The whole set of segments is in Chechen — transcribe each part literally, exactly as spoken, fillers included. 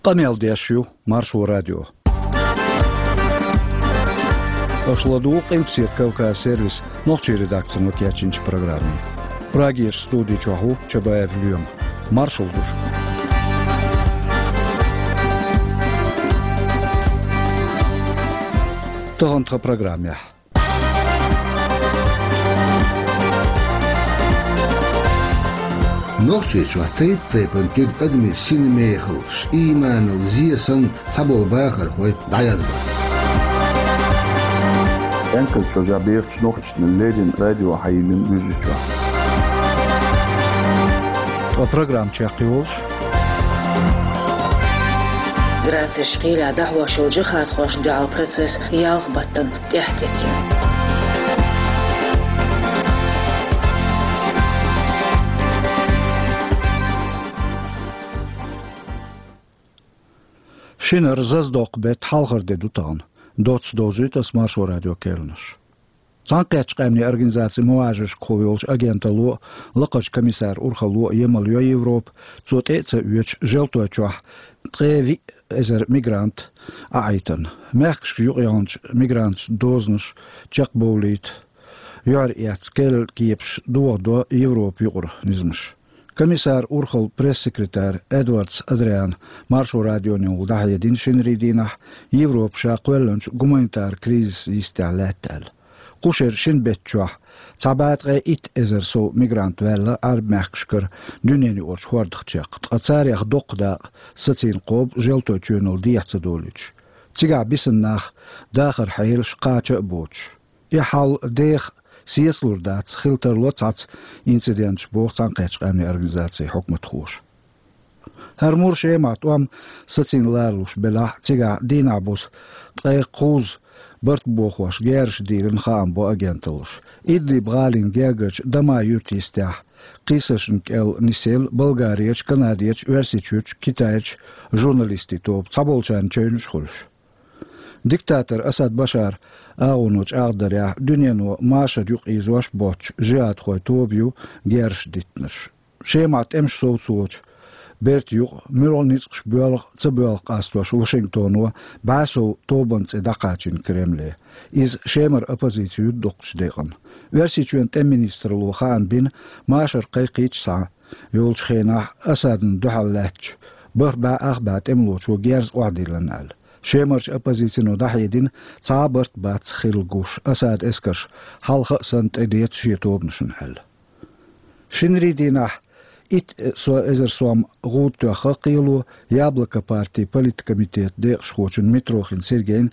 Къамел деш ю Маршо радио. Аша ладугӀу Къилбаседа Кавказ сервисан нохчийн редакцино кечйинчу программе. Прагерчу студи чохь ву Чабаев Лоьма. Маршалла ду шуьга. Тахана тхан программехь. Нохчийчохь тайп-тайпана туьга адамийн синмехаллаш, ийманал зен санна цхьаболу бахархой дӀаяздо. Энказ чожа бехачу нохчашна леррина радио хьайиллина Вуьржичохь. Ткъа программа чекхйолуш. Грацерчу кхелехь дӀахьош йолу джихадхошна дуьхьал процесс ялх баттана тӀаьхьатеттина. Шинара заздоккху беттан хьалхара де ду тахана. Доцца довзуьйту ас Маршо радион кхаьънаш. Цхьаьнакхеттачу къаьмнийн организаци мухӀажаршкахула йолчу агенталло а, лакхарчу комиссаран урхалло а емал йо Европа, цо тӀе а ца оьцуш, Желтойчохь ткъе виъ эзар мигрант а Ӏайтина. Мехкашка юкъаяьллачу мигранташна дозанаш чекхбовлийта юьхьар эцна керла кепаш дохадо Европан юкъара низамаш. Комиссаран урхаллин пресс-секретарь Эдвардс Адриана Маршо радионехула дӀахьедина шинарин дийнахь, Европа ша кхоьллинчу гуманитаран кризисан йистехь лаьтта аьлла. Кху шеран шина беттан чохь цхьа бӀе ткъе итт эзар сов мигрант ваьлла Ӏаьрбийн мехкашкара дуьненаюкъарчу хӀордах чекх, ткъа царех доккха дакъа сацийна кхобу Желтойчоьнал дехьа ца долуьйтуш. Цигахь бисина нах дахаран хьелаш кхача а боцуш. И хьал деха сецалур дац, хила тарло цхьацца инциденташ, боху Цхьаьнакхеттачу къаьмнийн организацин хьукматхоша. ХӀара мур Шемахь тӀом сацийна ларалуш белахь а, цигахь дийнахь буса ткъе кхузза барт бохош герзаш дийлина хаам бо агенталлаша. Идлиб-гӀалин гергарчу Дамаа юьртан йистехь кхийсаршна кӀел нисъелла Болгарерчу, Канадерчу, Оьрсийчуьрчу, Китайчу журналистийн тоба, цхьаболчарна чевнаш а хуьлуш. Диктатор Асад Башаран агӀоно чӀагӀдарехь, дуьнено машар юкъа ийзош боцчу жихӀадхойн тоба ю герзаш диттинарш. Шемахь тӀемаш совцочу бертан юкъа муьлха ницкъаш боьлху а, ца боьлху а къастош Вашингтоно бӀе сов тобанан цӀе дӀакхачийна Кремле. Иза Шемара оппозици ю дукхачу декъана. Оьрсийчоьнан тӀеман министралло хаам бина, машар кхайкхийча схьа йолчу хенахь Асадна дуьхьал лаьттачу бархӀ бӀе ах бӀе тӀемалочо герз охьадиллина аьлла. Шемарчу оппозицино дӀахьедина, цхьа а барт бац хилла гуш, Асадан эскарша хьалха а санна тӀедеца шен тобанашна аьлла. Шинарин дийнахь итт со-, эзар сом гӀуда тоьхна кхело Яблоко партин политкомитетан декъашхочун Митрохин Сергейн,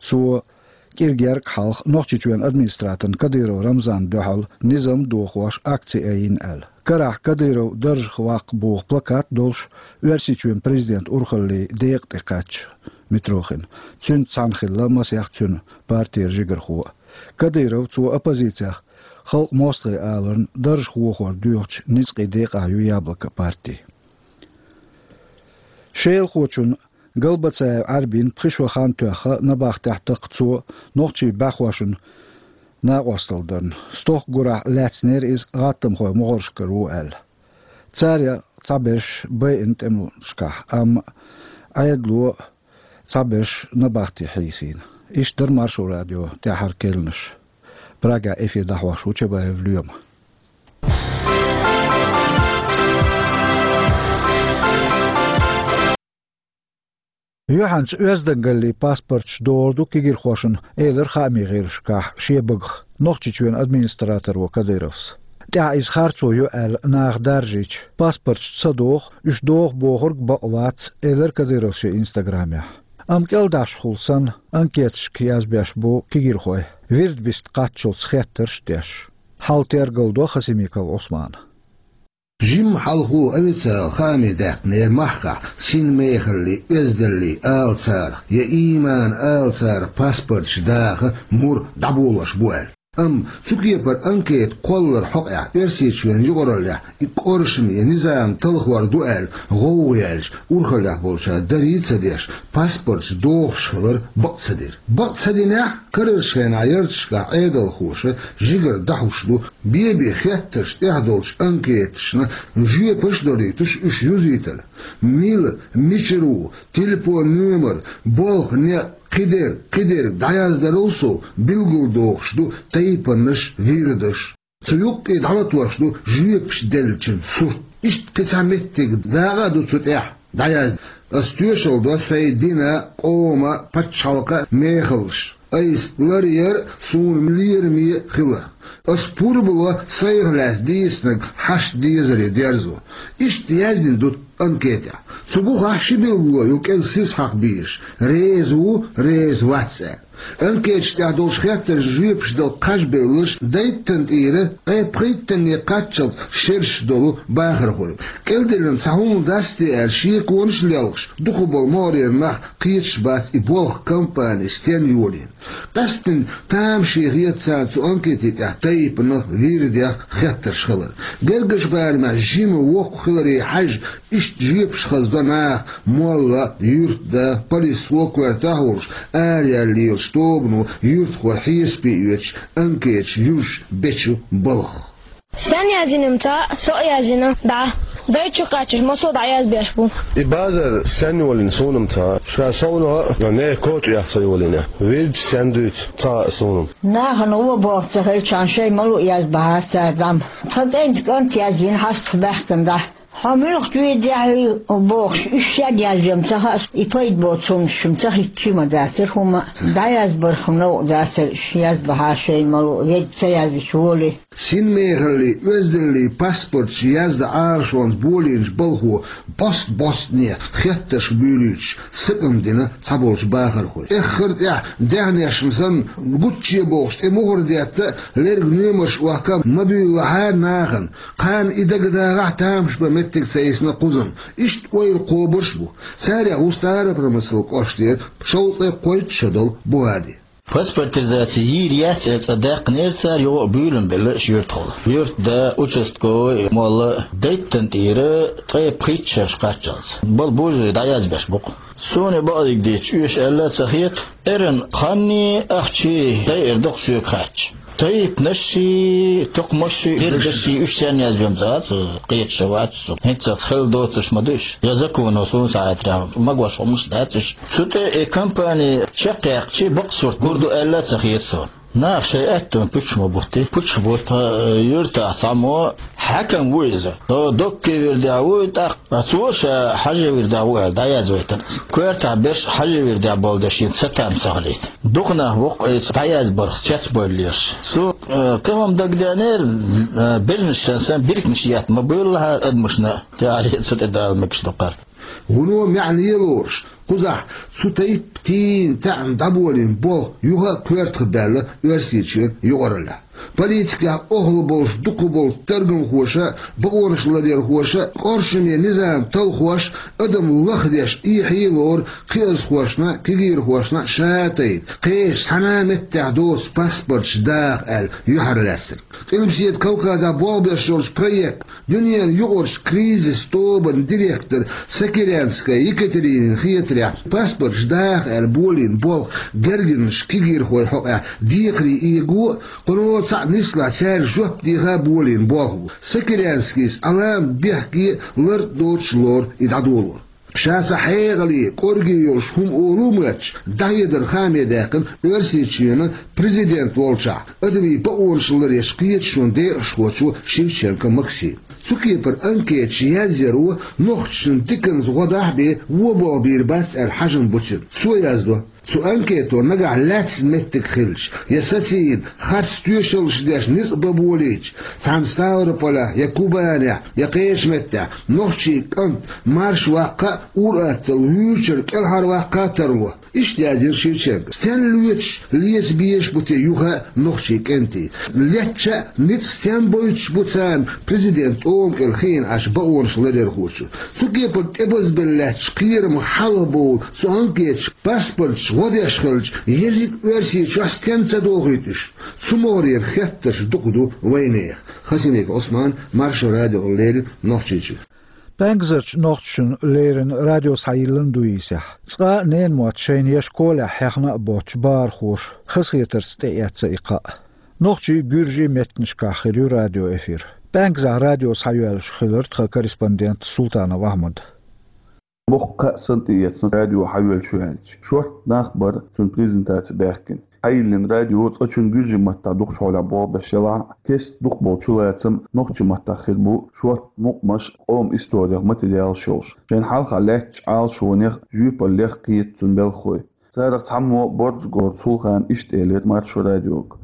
цо кӀира гергга хьалха Нохчийчоьнан администраторна Кадыров Рамзанна дуьхьал низам дохош акци айина аьлла. Карахь Кадыров даржах ваккха боху плакат а долуш, Оьрсийчоьнан президентан урхаллин декъа тӀе кхаьчна Митрохин. Цуьнца цхьаьна хилла масех цуьнан партера жигархо а. Кадыров, цо оппозицех халкъан мостагӀий аларна, даржах вохор доьхучу ницкъийн декъахь ю Яблоко парти. Шелахочун Галбацаев Ӏаьрбин пхи шо хан тоьхна набахтехь такха цо нохчийн бӀаьхошна накъосталла дарна. Стохка гурахь лаьцнера иза гӀаттамхойн могӀаршкара ву аьлла. Царех цхьаберш байина тӀемашкахь, амма Ӏедало цхьаберш набахте хьийсийна. Иштта дара Маршо радион тӀаьххьара кхаьънаш. Прагехь эфир дӀахьош ву Чабаев Лоьма. Юьхьанца оьздангаллин паспорташ догӀур ду кегийрхошна, элира хаамийн гӀирсашкахь шен багах Нохчийчоьнан администраторо Кадыровс. ТӀаьхьа иза харцо ю аьлла наха даржийча, паспорташ ца доху, уьш доху бохург бакъ вац, элира Кадыровс шен инстаграмехь. Амма кӀелдӀашхула санна, анкеташка язбеш бу кегийрхой, вирд биста кхаччалц хеттарш а деш. Хьал тергалдо Хасимиков Ӏусмана. Жимма хьалхо официалан хаам даьккхинера махкахь синмехаллин, оьздаллин ала царах я ийманан ала царах паспорташ даха мур дӀаболош бу аьлла. Амма цу кепара анкета кхоллар хьокъехь Оьрсийчоьнан юкъараллехь и кӀоршаме низам талхор ду аьлла гӀовгӀа яьлча, урхаллехь болчара дарий а ца деш, паспорташ дохуш хилар бакъ ца дира. Бакъ ца динехь, карарчу хенахь ярташкахь Ӏедалхоша жигара дӀахьуш ду, бен-бен хеттарш тӀехь долчу анкеташна жоьпаш а долуьйтуш уьш юзийтар. Мила, мичара ву, телефон номер, болх, некъ, кхидерг, кхидерг дӀаяздарал сов билгалдохуш ду тайпанаш, вирдаш. Цу юккъе дӀалатош ду жоьпаш деллачун сурт. Иштта кхин цхьа меттиг дакъа а ду цу тӀехь дӀаяздан. Ас тоьшалла до сайн дина, къома, пачхьалкха мехаллаш. Айса ларъяр суна лераме хиларх. Ас пурба ло сайх лаьцна дийцинарг хьашт дезаре дерзо. Иштта яздина ду анкетехь. Цу бухахь ши билгало ю кӀезиг сиз хьакха безаш: реза ву, реза вац аьлла. Анкеташ тӀехь долуш хеттаршна жоьпаш дала кхаж бевлларш дайттан тӀера ткъе пхийттанне кхаччалц шераш долу бахархой. КӀелделлина цхьа хӀума дац те аьлла шеконаш а лелхаш, дукхахболу могӀарера нах кхеташ бац и болх, кампани стенна йолийна. Къаьсттина тамаше хета царна цу анкетийн тӀехь тайпанах, вирдех хеттарш хилар. Гергарчу барамехь жима, воккха хиларе хьаьжжина, иштта жоьпаш хазадо наха молла, юьртда, полисхо, коьртехь а волуш, араяьлла лелачу тобано юьртахой хьесапе оьцуш анкеташ юзуш бечу балхах. Стенна яздина-м ца хаьа, со а яздина дӀа. Дайта чу кхаьчча, массо а дӀаязбеш бу. И базар стенна йолийна суна-м ца хаьа, ша совнаха а, нехан коча а ца йолийна. Вирдаш стенна дуьйцу ца хаьа суна-м. Нахана вон болх ца хилчахьана, шайн ма-луъу язбахьара цара дӀа-м. Тхан кӀентан кӀант яздина хьастах баьхкина дӀа. Хьо муьлха вирдехь ву бохуш, уьш стенна яздина-м ца хаьа, и пайда боцу хӀуманаш-м ца хӀиттича ма дацара хӀума, дӀаязбарх-м новкъа дацара уьш, язбахьара шайн ма-луъу, ведда ца яздича волий. Синмехаллий, оьздаллий паспорташ яздан Ӏалашонца болийначу балхо бӀост-бӀостане хеттарш буьйлуьйтуш сакъам дина цхьаболчу бахархой. Эххар а тӀехь, даьхнешна санна, гучче бохуш, тӀе мухӀар детта а, лерг номерш а охка а ма буьйлалахьара нахана. Кхарна и дагадагӀахь, тамаш бан меттиг ца йисна кхузан. Иштта ойла кхобуш а бу. Царех ву Старопромыслан кӀоштара шовзткъе кхойтта шо долу Бугьади. Паспортизаци йийр яц аьлла цӀа даьккхинера цара, юха а буьйлам белла уьш юьртахула. Юьртда, участковый, молла а дайттан тӀера ткъе пхийтта шераш кхаччалц. Бала божарий дӀаязбеш бу-кх. Суна бакъдерг дийцича, оьшуш аьлла а ца хета, эрна ханний, ахчий дайар ду-кх соьга хаьттича. Тайпанашший, тукхамашший, вирдашший уьш стенна яздина-м ца хаьа, кхеташ а вац со. ХӀинццалц хилла доцурш ма ду уьш. Я законо суна схьахетарехь, магош хӀуманаш дац уьш. Цу тӀе и кампани чекхъяьккхича, бакъ сурт гур ду аьлла а ца хета суна. Наха шайн аьттон пуьчаш ма бутти, пуьчаш бутта, юьртахь цхьаммо хьаькам ву иза. До-, доккхий вирдехь ву и тӀаккха, цо ша хьажий вирдехь ву аьлла дӀаязвайтина. Коьртахь берш хьажий вирдехь болу дерш шена цатам ца хилийта. Дукха нах бу-кх айса дӀаязбарх цецбевллерш. Цо, э, кхин хӀума дагадеанера, э, бежнаш санна, биркинаш етта ма бевллахьара адамашна, тӀаьхьара цу тӀе дала мегаш ду-кх хӀара. Вуно маьӀне лоруш, кхузахь цу тайпа тийна таьӀна дӀаболийна болх юха а коьртах баьлла Оьрсийчоьнан юкъараллехь. Политикехь охьалуш болуш дукхахболчу таргамхоша а, бакъонаш ларъярхоша а, кӀоршаме низам талхош а, адам лахдеш эхье а лору кхиазхошна а, кегийрхошна а ша а тайна, кхечу цхьана а меттехь доцу паспорташ даха аьлла юьхьарлаьцнарг. Къилбаседа Кавказехь болх беш йолчу проект, дуьненан юкъарчу кризис тобанан директор Сокирянская Екатеринина хетарехь, паспорташ даха аьлла болийна болх гергарнаш, кегийрхой хьокъехь декхаре эго а, кхуьно цхьаъ нислахь цаьрга жоп деха а болийна болх бу. Сокирянскийс Ӏаламат бехке а, лар а доцуш лору и дӀадолор. Ша цхьа хьекъале, кӀорге йолуш хӀума олу моьттуш, дӀахьедар хааме даьккхина Оьрсийчоьнан президент волчохь, адамийн бакъонаш ларъечу кхеташонан декъашхочо Шевченко Максима. Цу кепара анкеташ язъяро нохчашна диканца гӀо дахь а бен, вон болх бийр бац аьлла хьажам бу цуьнан. Цо яздо: цу анкето нагахь лаьцна меттиг хилча, я сацийна харц тоьшаллаш деш ницкъ бан болийча, цхьана Ставрополехь, я Кубанехь, я кхечу меттехь нохчийн кӀант марша ваккха а, ур-атталла вуьйрачара кӀелхьарваккха а тарло. Иштта яздира Шевченкос. Стенна лоьцуш, леца безаш бу те юха а нохчийн кӀентий? Летча а, ницкъ стенна бойтуш бу царна президентан тӀома кӀел хиъна Ӏаш бакъонаш ларъярхочо? Цу кепара тӀебазбелла лаьтташ кхерамах хьалхабовла цу анкеташа паспорташ Гӏо деш хилча, ерриг Оьрсийчохь стенна ца дохуьйту уьш? Цу могӏарера хеттарш дукха ду вайнехан. Хасимиков Ӏусман, Маршо радиона леррина, Нохчийчоь. ПӀаьнкзарчу нохчашна леррина радио схьайиллина ду йийсехь, цкъа а ненан мотт шайна я школехь хьехна а боццуш бахархоша хазахетарца тӀеэцна и кхаъ. Нохчийн, гуьржийн меттанашкахь хир ю радиоэфир. ПӀаьнкзахь радио схьайоьллуш хилира тхан корреспондент Султанов Ахьмад. Боккха кхаъ санна тӀеэцна радио хьайоьллуш ю аьлча. Шортта нах бара цуьнан презентаци баьхкина. Хьайиллина радио цкъачунна гуьржийн маттахь дукхачу хьолехь болх беш елахь а, кеста дукхахболу чулацам нохчийн маттахь хир бу шортта мукъамаш, къоман историх материалаш йолуш. Шайна хьалха лаьттачу Ӏалашонех, жоьпаллех кхета цуьнан белхалой. Царах цхьаммо Борзагоран Сулхана иштта элира Маршо радиога.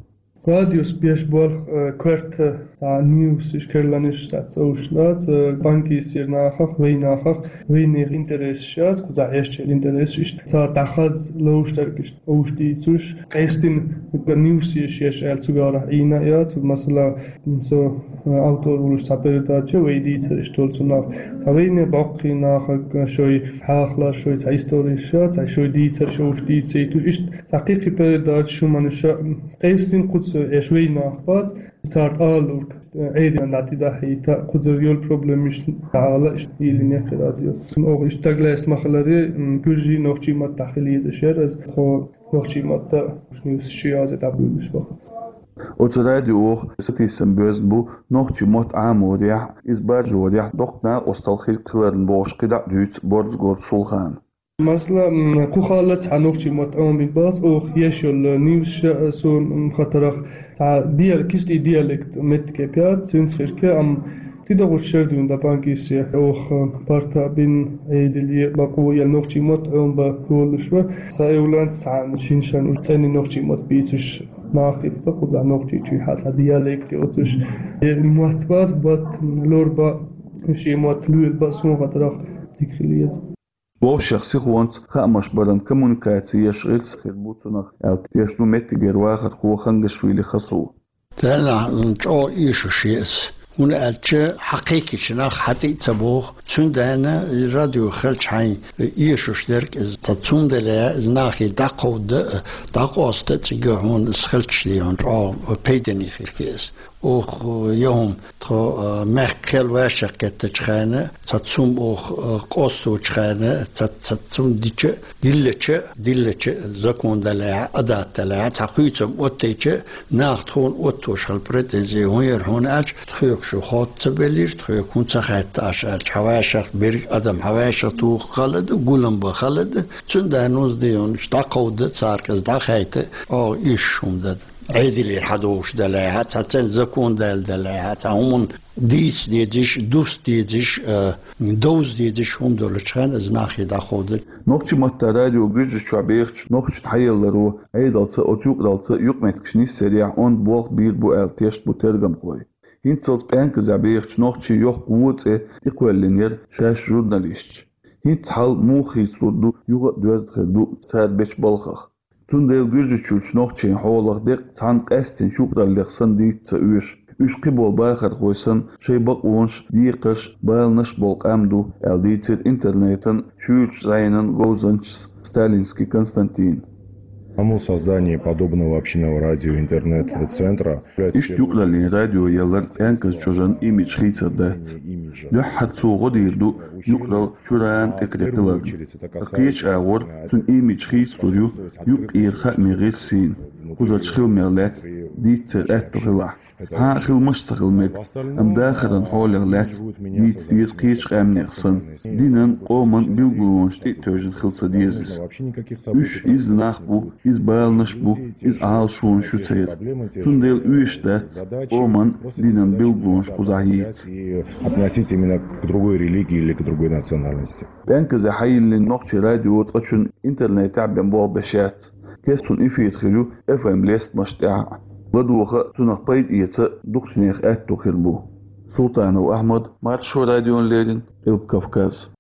Радиос беш болх, э, коьрта, цхьа ньюсаш, керланаш, цхьа цӀовш дац, э, панкисера нахах, вайнахах, вайнехан интересаш яц, кхузахь эшначеран интересаш, иштта цара дӀахаза ловш дерг иштта овш дийцуш, къестина ньюсаш еш аьлла цуьнга Ӏийна а яц, масала, м, со, э, автор волуш цхьа передача, вай дийцар иштта долу цунах. Ткъа вайне боккхий нахах, э, шой хьахалаш, шой цхьа историш, цхьа шой дийцарш овш дийцийтуш, иштта цхьа кхин-кхин передачаш, хӀуманаш, м, къестина кхуза эш вай нах бац, царна ала луург, э, Ӏедална дӀатӀедахьийта, кхузара йолу проблемаш дӀаала, иштта йиллина яра радио. Оха иштта стаг лаьцна ма-хиллара, м, гуьржийн, нохчийн маттахь хила езаш яра иза, тхо нохчийн маттахь ньюсаш язъе дӀабуьйлуш баха. Оцу радион сатийсам боьзна бу нохчийн мотт Ӏаморехь, иза баржорехь доккха накъосталла хир хиларна бохуш кхидӀа а дуьйцу Борзагоран Сулхана. Масала, м, кху хала цхьа нохчийн мотт Ӏамийна бац, оха еш йолу ньюсаш, э, суна, м, хатарах, цхьа диал-, кхин стий диалект меттиг яц, цуьнца хир ю, амма тидогӀучу шердуьйна дан панкисехь, оха, э, парта бина, Ӏедале, бакъо ян нохчийн мотт Ӏомабан болуш ву. Сан эвланца цхьана шина-шарна уьш цӀена нохчийн мотт бийцуш нах хир бу, кхузахь Нохчийчохь цхьа диалект йоцуш. Э, мотт бац, бат, лор бан, шен мотт лоьла бан, суна хатарах, дика хила еза. Вовшех сихонца хаамаш баран коммуникаци еш гӀирс хир бу цунах, аьлла тешна ду меттигера вахархо Хангашвили Хасу. Делахь чӀогӀа эшуш ю иза. ХӀунда аьлча хьан кхайкхийчу нах хьан тӀе а ца боху, цундела и радио хилча хьайн эшуш дерг иза. Ткъа цундела иза нахе дӀакховда, дӀакъоста а цига хьуна иза хилча, хьуна чӀогӀа пайдане хир ю иза. Оха, я хӀума, тхо, а, мехкан кхел вайшех кхеттачу хенахь, цхьа цум оха, а, къосточу хенахь, цхьа, цхьа цум дича, диллача, диллача, закон далехьа, адат далехьа, цхьа хуьйцам оттайча, наха тхуна оттош хила претензи хӀун яра, хьуна аьлча, тхоьга шу хоттаца белира, тхоьга хӀун ца хаьтташ аьлча, хьан вайшех берриг адам хьан вайшех туху хала ду, гулам бан хала ду, цундела нуз дийонаш дӀакховда, царга иза дӀахайта, оха иш хӀума дан. Ӏедалера хьадовш далехьа, цхьа церан закон даьлла далехьа, цхьа хӀуманна дийца дезаш, дуста дезаш, а, довза дезаш хӀума долучу хенахь иза нахе дӀакховда. Нохчийн маттахь радио Гуьржийчохь бехачу нохчашна хьаялларо Ӏедалца а, оцу юкъараллица а юкъаметтигаш нисъярехь онда болх бийр бу аьлла тешна бу тергамхой. ХӀинццалц пӀаьнказахь бехачу нохчийн йоккха вон цӀе тӀекхоьллина яра шаьш журналисташ. ХӀинцца хьал муха хийцалур ду, юха а доьзна хир ду цара бечу балхах. Цундела Гуьржийчуьрчу нохчийн хьолах деккъа цхьана къаьстина шуьйкъараллех санна дийца ца оьшу. Уьш кхиболу бахархой санна, шайн бакъонаш, декхарш, баланаш болу къам ду, аьлла дийцира интернетан шуьйрачу зӀенан говзанчас Сталинский Константина. Само создание подобного общинного радио-интернет-центра является... Иштта юкъараллин радио ялар пӀаьнказан чӀожан имидж хийцар дац. Дуьххьара цо гӀо дийр ду юкъаралла чуьра тӀекхетар хиларна. Ткъа кхечу агӀор цуьнан имидж хийцалур ю юкъара хаамийн гӀирсийн, кхузарчу хиламех лаьцна дийцар аьтто хилахь. Цхьа а хиламаш ца хила мега, амма дахаран хьолех лаьцна дийца деза кхечу къаьмнех санна. Динан, къоман билгалонаш тӀе а тевжина хила ца деза иза. Уьш изза нах бу, изза баланаш бу, изза Ӏалашонаш ю церан. Цундела оьшуш дац къоман, динан билгалонаш кхузахь йийца. И относиться именно к другой религии или к другой национальности. ПӀаьнказе хьайиллина нохчийн радио цкъачунна интернетехь бен болх беш яц. Кеста цуьнан эфир хир ю эф эм лестамаш тӀехь а. ЛадогӀа а, цунах пайда эца а дукхачу нехан аьтто хир бу. Султанов Ахьмад, Маршо радиона леррина, Къилба Кавказ.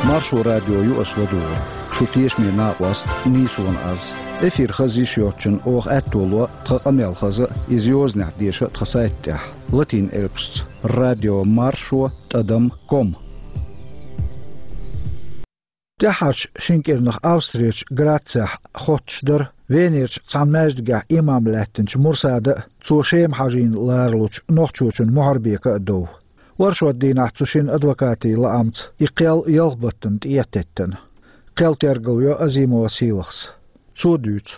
Маршо радио ю аша ладугӀург. Шун тешаме накъост нийсонан аз. Эфир хаза йиш йоцчунна оха аьтто ло тхан къамел хаза а, иза йозанехь деша а тхан сайта тӀехь, латин элпашца: радио маршо тӀадам ком. ТӀаьххьарчу шина кӀирнах Австрерчу Грацехь хоттуш дара Венерчу цхьана маьждигехь имам лаьттинчу Мурсада а, цо Шема хьажийна ларалучу нохчочун Мухьарбека а дов. Оршот дийнахь цу шинан адвокатийн лаамца и кхел ялх баттана тӀе а теттина. Кхел тергал йо Азимова Сийлахьас. Цо дуьйцу.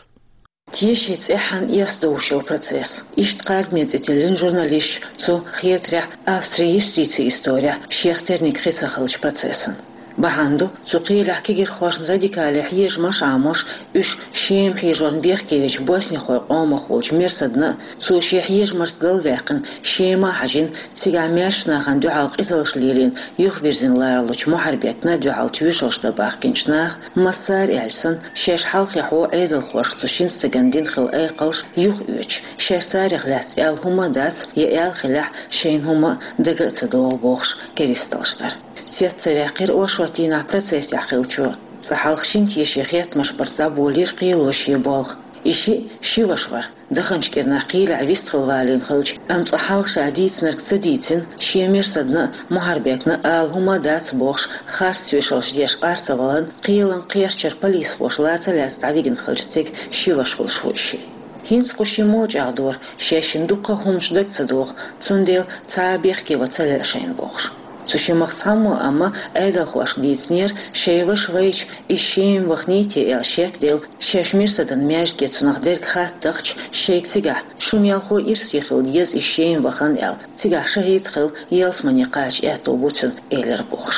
Теши цӀеххьана эс довш йолу процесс. Иштта кхаргаме цӀе тиллина журналисташ цу хетарехь Австрин юстицин исторехь шех терниг хи ца хиллачу процессан. Бахьана ду, цу кхелехь кегирхошна радикале хьежамаш а Ӏамош, уьш Шема хьежорна бехке вечу боснихойн къомах волчу Мерсадна а, цо шен хьежамашца галваьккхина, Шема а хьажийна, цигахь маьршачу нахана дуьхьал къизаллаш лелийна, юхавирзина ларалучу Мухьарбекна а дуьхьал тоьшаллаш дан бахкийначу наха, массара аьлча санна, шаьш хьалххе хьо Ӏедалхоша цу шина стагана дина хилла айкхаллаш юхаоьцуш, шаьш царех лаьцна аьлла хӀума а дац, я аьлла хиллехь, шайна хӀума дага а ца догӀу бохуш, керсталлаш дара. Цец ца ваьккхира оршот дийнахь процессехь хиллачо. Цкъа хьалха шина тешан хеттамаш барца дӀаболийра кхело шен болх. И шиъ ши ваша вара. Даханчу кӀирнахь кхелехь вистхила валийна хилча, амма цкъа хьалха ша дийцинарг ца дийцина, шен Мерсадна а, Мухьарбекна а ала хӀума а дац бохуш, харц тоьшаллаш деш къар ца валарна, кхелан кхерчара полисхоша ла ца лаьцна дӀавигина хиллачу стеган ши ваша хуьлуш ву и шиъ. ХӀинца кху шиммо а чӀагӀдора, шаьшшинна дуккха а хӀуманаш дага ца догӀу, цундела цхьа а бехке ван ца лаьа шайна бохуш. Цу шимах цхьаммо а амма Ӏедалхошка дийцинера, шайн ваша вайча, иза Шема ваханий те аьлла шек а делла, шаьш Мерсадан маьждиге цунах дерг хаттахча, шайга цигахь, шу мелхо ирсе хила деза иза Шема вахана аьлла, цигахь шахӀид хила, ялсамане кхача аьтто бу цуьнан, элира бохуш.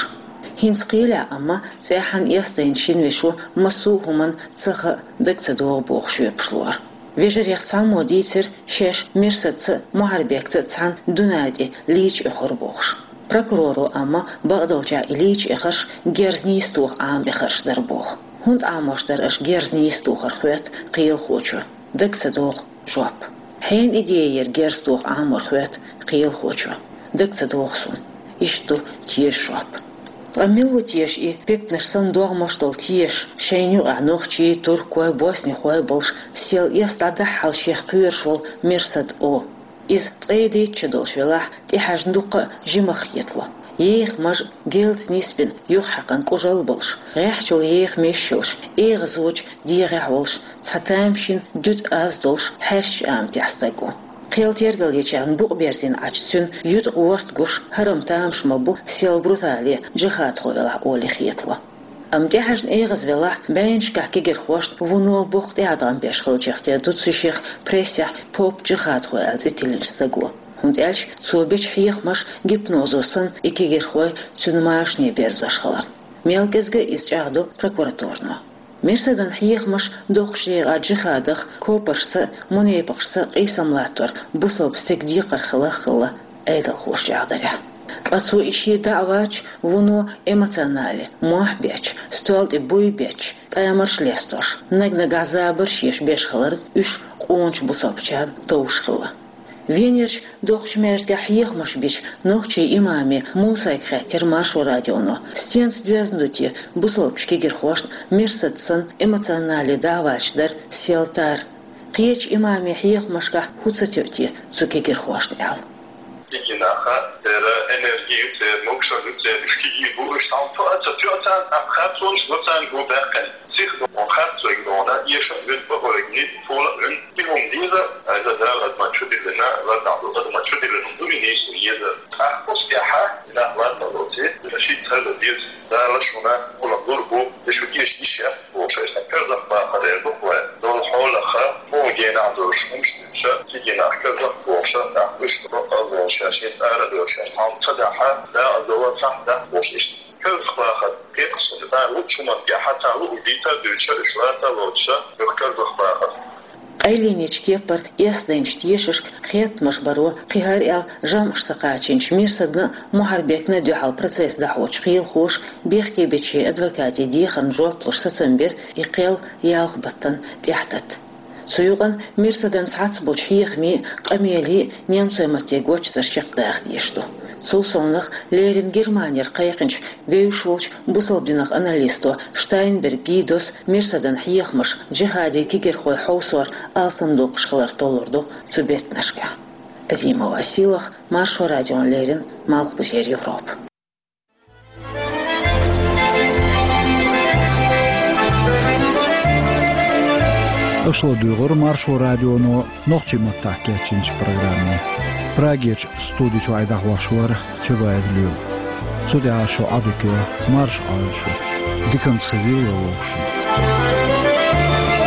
ХӀинца кхелехь амма цӀеххьана эс дайначу шина вешо массо а хӀуманна ца хаьа, дага ца догӀу бохуш жоьпаш лора. Вежарех цхьаммо дийцира, шаьш Мерсадца а, Мухьарбекца а цхьаьна дуьнен тӀе лийча эхира бохуш. Прокуроро амма бакъдолчехь и лийча эхарш герз нийса тоха Ӏама эхарш дара боху. ХӀунда Ӏамош дара аша герз нийса тохар, хоьтту кхелахочо. Дага ца догӀу жоп. Хьенан идея яра герз тоха Ӏамор, хоьтту кхелахочо. Дага ца догӀу суна. Иштта ду тешан жоп. Ткъа мила ву теша и, пектанаш санна догӀмаш долу теша, шайна юкъахь нохчий, туркой, боснихой болуш, сел эс дӀадахьал шех кхоьруш волу Мерсад о? Иза ткъе дейтта шо долуш велахь, тӀехьаьжна дуккха а жимах хетало. Еха мажа, гелца нисбина, юхахьаькхна кӀужал болуш, гӀеххьачул еха меш йолуш, эгӀазочу дегӀехь волуш, цхьа тамашийна дуьтӀа аз долуш, хьаьрчачу аматехь стаг ву. Кхел тергал ечарна букъ берзийна Ӏачу цуьнан ютӀа ворта гуш, хӀара-м тамаш ма бу, сел брутале, джихадхо велахь олий хетало. Амма тӀехьаьжна эгӀаз велахь, бӀеннашкахь кегирхошна вуно боккха тӀеӀаткъам беш хилчех тера ду цу шех прессехь поп-джихадхо аьлла цӀе тиллинчу стаго. ХӀунда аьлча цо бечу хьехамаш гипнозо санна и кегирхой цуьнан машане берзош хиларна. Мел кӀезга а иза чӀагӀдо прокуратурано. Мерсадан хьехамаш доккхачу декъа джихадах, копаршца а, мунепакъашца а къийсам латтор бусалба стеган декхар хилла а хилла, Ӏедалхоша чӀагӀдарехь. Ткъа цо и шен даӀваташ вуно эмоционале, мохь беча, стол тӀе буй беча, тӀамарш лестош, наг-нагахь забарш еш беш хиларна, уьш къоначу бусалбачарна товш хилла. Венерчу доккхачу маьждигехь хьехамаш бича нохчийн имаме Мусайга хаьттира Маршо радионо, стенца доьзна ду те бусалбачу кегирхошна Мерсад санна эмоционале даӀваташ дар, сел тар. Кхечу имаме хьехамашкахь хӀун ца тоьу те цу кегирхошна аьлла. Дигина ха, церан энерги ю, церан могушалла ю, церан уьш киги бу, уьш цхьаьна тоьа ца тоьа царна, тӀаккха харцонаш го царна го баьккхина. Сих доху харцойг дохна, эшам вин, бакъойгни, фола вин, тихум деза, айза Дала адаман чу диллина, лардахь ду адаман чу диллина, дури нийсу еза. ТӀаккха кху стехьа, нах ларба лоци, шийтта хаза деза, Дала шуна, кула лур бу, и шу кеш иш я, бохуш, айшна кирзах бахар эр бу хой. Дол хьолаха, хьо генахь долуш хӀумаш дуьйша, кигинах кирзах бохуша, нах уьш бакъал бохуша, шин ара долуша, хьам ца дахьа, да а дола цахь дах бохуш ишта. Кирзах бахар, кхеташ сан, да лучу хӀуман тӀехьа, та лу дийта дуьйша, уьш лата лоцуша, юх кирзах бахар. Къайленечу кеппара эс дайначу тешашка хеттамаш баро, кхин хӀара аьлла жамӀаш ца кхачийначу Мерсадна а, Мухьарбекна а дуьхьал процесс дӀахьочу кхелахоша бехке бечу адвокатийн дехарна жоп луш сацам бира и кхел ялх баттана тӀаьхьататта. Цу юкъана Мерсадан цхьацца болчу хьехамийн а, къамелин а немцойн матте гочдара чекхдаха дезаш ду. Цул совнаха леррина Германера кхайкхинчу вевзаш волчу бусалба динах аналисто Штайнберг Гидос Мерсадан хьехамаш джихадийн кегирхой хьовсор алсамдоккхуш хилар толлур ду цу беттанашкахь. Азимова Сийлахь, Маршо радиона леррина, Малхбузера Европа. Аша ладугӀура Маршо радионо нохчийн маттахь кечйинчу программе. Прагерчу студи чохь и дӀахьош вара Чабаев Лоьма. Цу тӀехь шун Ӏадика марша Ӏойла шу. Диканца хезийла вовшашна.